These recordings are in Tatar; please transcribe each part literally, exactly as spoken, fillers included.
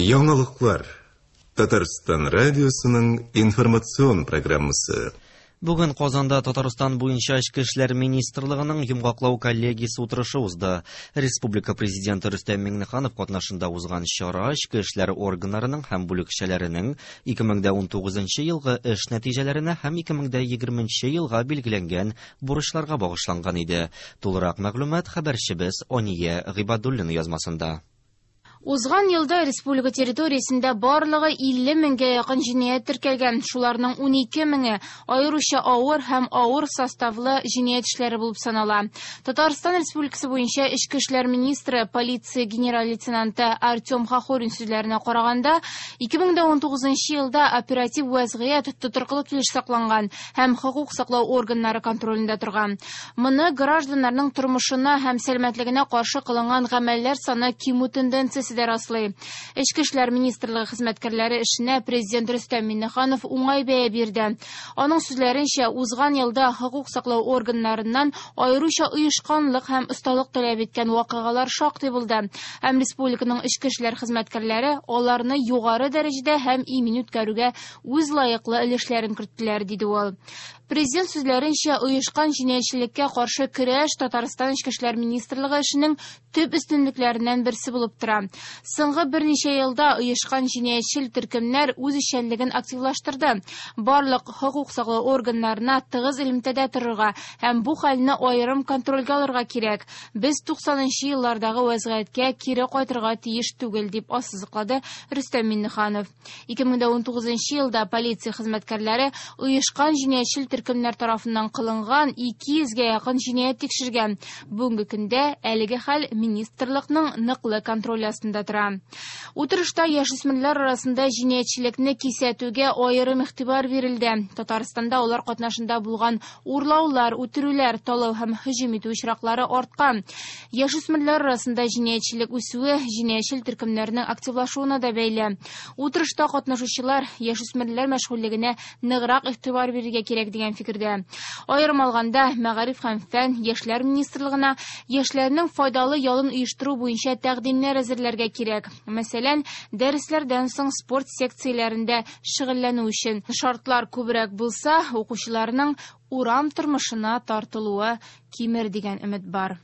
Яңалыклар. Татарстан радиосының информацион программасы. Бүген Казанда Татарстан буенча Эчке эшләр министрлыгының йомгаклау коллегиясе утырышы узды. Республика президенты Рөстәм Миңнеханов катнашында узган чара эчке эшләр органнарының һәм бүлекчәләренең ике мең дә унтугызынчы елгы эш нәтиҗәләренә һәм ике мең дә егерменче елга билгеләнгән бурычларга багышланган иде. Тулырак мәгълүмат хәбәрчебез Ания Гыйбадуллина язмасында. Узган елда республика территориясендә барлыгы илле меңгә якын җинаять теркәлгән. Шуларның унике меңе аеруча авыр һәм авыр составлы җинаять эшләре булып санала. Татарстан Республикасы буенча Эчке эшләр министры, полиция генерал-лейтенанты Артем Хохорин сүзләренә караганда, ике мең дә унтугызынчы елда оператив вазгыять тотрыклы килеш сакланган һәм хокук саклау органнары контролендә торган. Моны гражданнарның тормышына һәм сәламәтлегенә каршы кылынган гамәлләр саны кимү тенденциясе дә раслый. Эчке эшләр министрлыгы хезмәткәрләре эшенә президент Рөстәм Миңнеханов уңай бәя бирде. Аның сүзләренчә, узган елда хокук саклау органнарыннан аеруча оешканлык һәм осталык таләп иткән вакыйгалар шактый булды. Һәм республиканың эчке эшләр хезмәткәрләре аларны югары дәрәҗәдә һәм имин үткәрүгә үз лаеклы өлешләрен керттеләр, диде ул. Президент сүзләренчә, оешкан җинаятьчелеккә каршы көрәш Татарстан Эчке эшләр министрлыгы эшенең төп өстенлекләреннән берсе булып тора. Соңгы берничә елда оешкан җинаятьчел төркемнәр үз эшчәнлеген активлаштырды. Барлык хокук саклау органнарына тыгыз элемтәдә торырга һәм бу хәлне аерым контрольгә алырга кирәк. Без туксанынчы еллардагы вазгыятькә кире кайтырга тиеш түгел, дип ассызыклады Рөстәм Миңнеханов. ике мең дә унтугызынчы елда полиция хезмәткәрләре оешкан җинаятьчел төркемнәр тарафыннан кылынган ике йөзгә якын җинаять тикшергән. Бүгенге көндә әлеге хәл министрлыкның ныклы контроле астында тора. Утырышта яшүсмерләр арасында җинаятьчелекне кисәтүгә аерым игътибар бирелде. Татарстанда алар катнашында булган урлаулар, үтерүләр, талау һәм һөҗүм итү очраклары арткан. Яшүсмерләр арасында җинаятьчелек үсүе җинаятьчел төркемнәрнең активлашуына да бәйле. Утырышта катнашучылар яшүсмерләр мәшгульлегенә ныграк игътибар бирергә кирәк дигән фикердә. Аерым алганда, Мәгариф һәм фән, Яшьләр министрлыгына яшьләрнең файдалы ялын оештыру буенча тәкъдимнәр әзерләргә кирәк. Мәсәлән, дәресләрдән соң спорт секцияләрендә шөгыльләнү өчен шартлар күбрәк булса, укучыларның урам тормышына тартылуы кимер дигән өмет бар.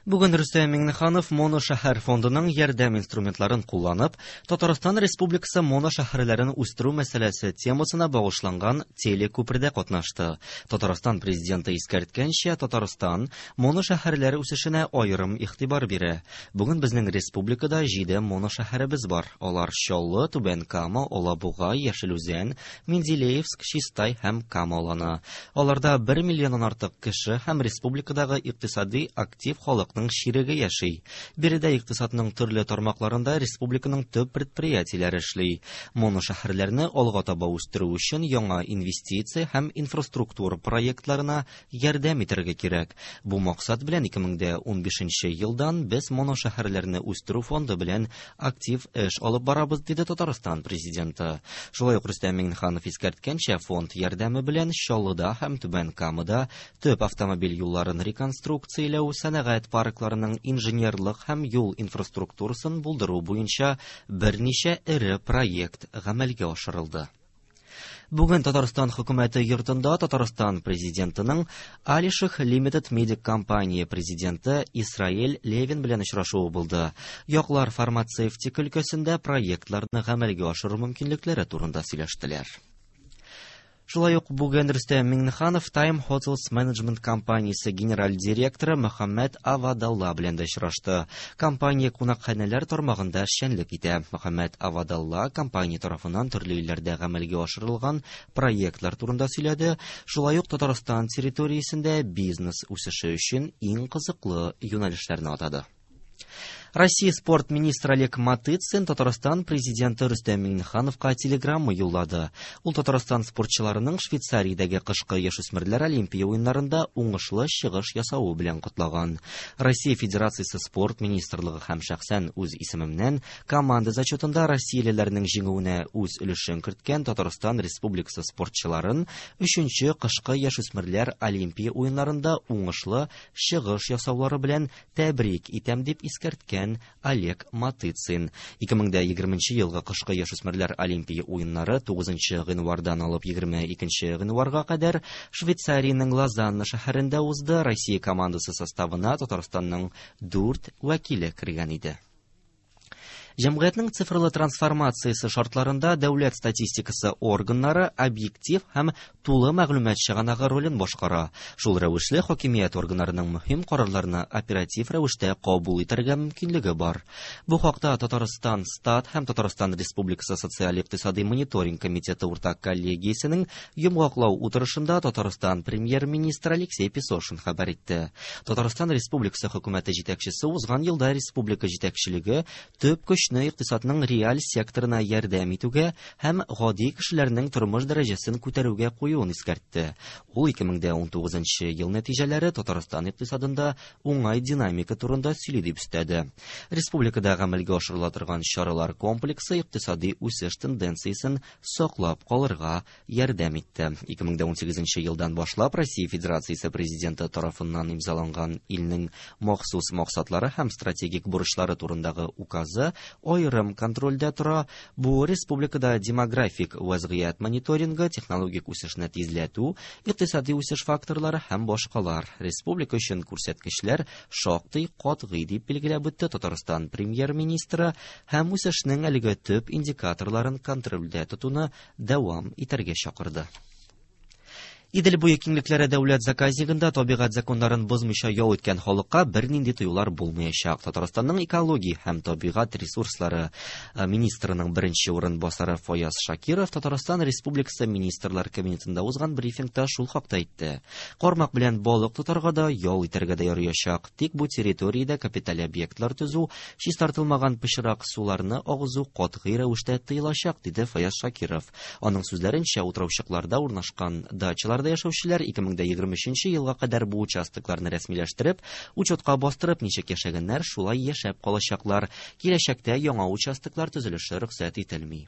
Бүген Рөстәм Миңнеханов моношәһәр фондының ярдәм инструментларын кулланып, Татарстан Республикасы моношәһәрләрен үстерү мәсьәләсе темасына багышланган телекүпердә катнашты. Татарстан президенты искәрткәнчә, Татарстан моношәһәрләр үсешенә аерым игътибар бирә. Бүген безнең республикада җиде моношәһәребез бар. Алар Чаллы, Түбән Кама, Алабуга, Яшел Үзән, Менделеевск, Чистай һәм Кама аланы. Аларда бер миллионнан артык кеше һәм республикадагы икътисади актив халык ширеге яши. Биредә икътисадның төрле тармакларында республиканың төп предприятиеләре эшли. Моношәһәрләрне алга таба үстерү өчен яңа инвестиция һәм инфраструктура проектларына ярдәм итәргә кирәк. Бу максат белән ике мең дә унбишенче елдан без моношәһәрләрне үстерү фонды белән актив эш алып барабыз, диде Татарстан президенты. Шулай ук Рөстәм Миңнеханов искәрткәнчә, фонд ярдәме белән Чаллыда һәм Түбән Камада төп автомобиль юлларын реконструкцияләү, сәнәгать паркларының инженерлык һәм юл инфраструктурасын булдыру буенча берничә эре проект гамәлгә ашырылды. Бүген Татарстан хөкүмәте йортында Татарстан президентының Алиших Limited Medic компания президенты Исраил Левин белән очрашуы булды. Яклар фармацевтика өлкәсендә проектларны гамәлгә ашыру мөмкинлекләре турында сөйләштеләр. Шулай ук бүген Рөстәм Миңнеханов Time Hotels Management компаниясе генераль директоры Мөхәммәд Авадалла белән дә очрашты. Компания кунакханәләр тармагында эшчәнлек итә. Мөхәммәд Авадалла компания тарафыннан төрле илләрдә гамәлгә ашырылган проектлар турында сөйләде. Шулай ук Татарстан территориясендә бизнес үсеше өчен иң кызыклы юнәлешләрне атады. Россия спорт министры Олег Матыцин Татарстан президенты Рөстәм Миңнехановка телеграмма юллады. Ул Татарстан спортчыларының Швейцариядәге кышкы яшүсмерләр Олимпия уеннарында уңышлы чыгыш ясавы белән котлаган. Россия Федерациясе спорт министрлыгы һәм шәхсән үз исемемнән команда зачетында россиялеләрнең җиңүенә үз өлешен керткән Татарстан Республикасы спортчыларын өченче кышкы яшүсмерләр Олимпия уеннарында уңышлы чыгыш ясаулары белән тәбрик итәм дип искәрткән белдергән Олег Матыцин. ике мең дә егерменче елгы кышкы яшүсмерләр Олимпия уеннары тугызынчы гыйнвардан алып егерме икенче гыйнварга кадәр Швейцариянең Лозанна шәһәрендә узды. Россия командасы составына Татарстанның дүрт вәкиле кергән иде. Җәмгыятьнең цифрлы трансформациясе шартларында дәүләт статистикасы органнары объектив һәм тулы мәгълүмат чыганагы ролен башкара. Шул рәвешле хакимият органнарының мөһим карарларны оператив рәвештә кабул итәргә мөмкинлеге бар. Бу хакта Татарстан Стат һәм Татарстан Республикасы социаль-икътисади мониторинг комитеты уртак коллегиясенең йомгаклау утырышында Татарстан премьер-министры Алексей Песошин хәбәр итте. Татарстан Республикасы хөкүмәте җитәкчесе узган елда республика җитәкчелеге төп көч икътисадның реаль секторына ярдәм итүгә һәм гади кешеләрнең тормыш дәрәҗәсен күтәрүгә куюын искәртте. Ул ике мең дә унтугызынчы ел нәтиҗәләре Татарстан икътисадында уңай динамика турында сөйли дип өстәде. Республикада гамәлгә ашырыла торган чаралар комплексы икътисади үсеш тенденциясен саклап калырга ярдәм итте. ике мең дә унсигезенче елдан башлап Россия Федерациясе президенты тарафыннан имзаланган илнең махсус максатлары һәм стратегик бурычлары турындагы указы аерым контрольдә тора. Бу республикада демографик вазгыять мониторингы, технологик үсешне тизләтү, икътисади үсеш факторлары һәм башкалар. Республика өчен күрсәткечләр шактый катгый дип билгеләп үтте Татарстан премьер-министры һәм үсешнең әлеге төп индикаторларын контрольдә тотуны дәвам итәргә чакырды. Идел буе киңлекләре дәүләт заказнигында табигать законнарын бозмыйча ял иткән халыкка бернинди тыюлар булмаячак. Татарстанның экология һәм табигать ресурслары министрының беренче урынбасары Фаяз Шакиров Татарстан Республикасы Министрлар Кабинетында узган брифингта шул хакта әйтте. Кармак белән балык тотарга да, ял итәргә дә ярыячак. Тик бу территориядә капиталь объектлар төзү, чистартылмаган пычрак суларны агызу катгый рәвештә тыелачак, диде Фаяз Шакиров. Аның сүзләренчә, утраучыкларда урнашкан дачалар яшәүчеләр ике мең дә егерме өченче елга кадәр бу участокларны рәсмиләштереп, учетка бастырып, ничек яшәгәннәр, шулай яшәп калачаклар. Киләчәктә яңа участоклар төзелеше рөхсәт ителми.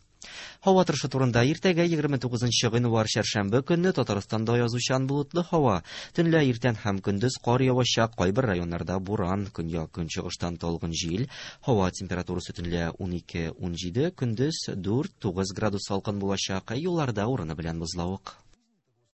Һава торышы турында иртәгә егерме тугызынчы гыйнвар чәршәмбе көнне Татарстанда язучан болытлы һава. Төнлә иртән һәм көндез кар явачак, кайбер районнарда буран, көньяк-көнчыгыштан талгын җил. Һава температурасы төнлә унике-унҗиде, көндез дүрт-тугыз градус салкын булачак, юлларда урыны белән бозлавык.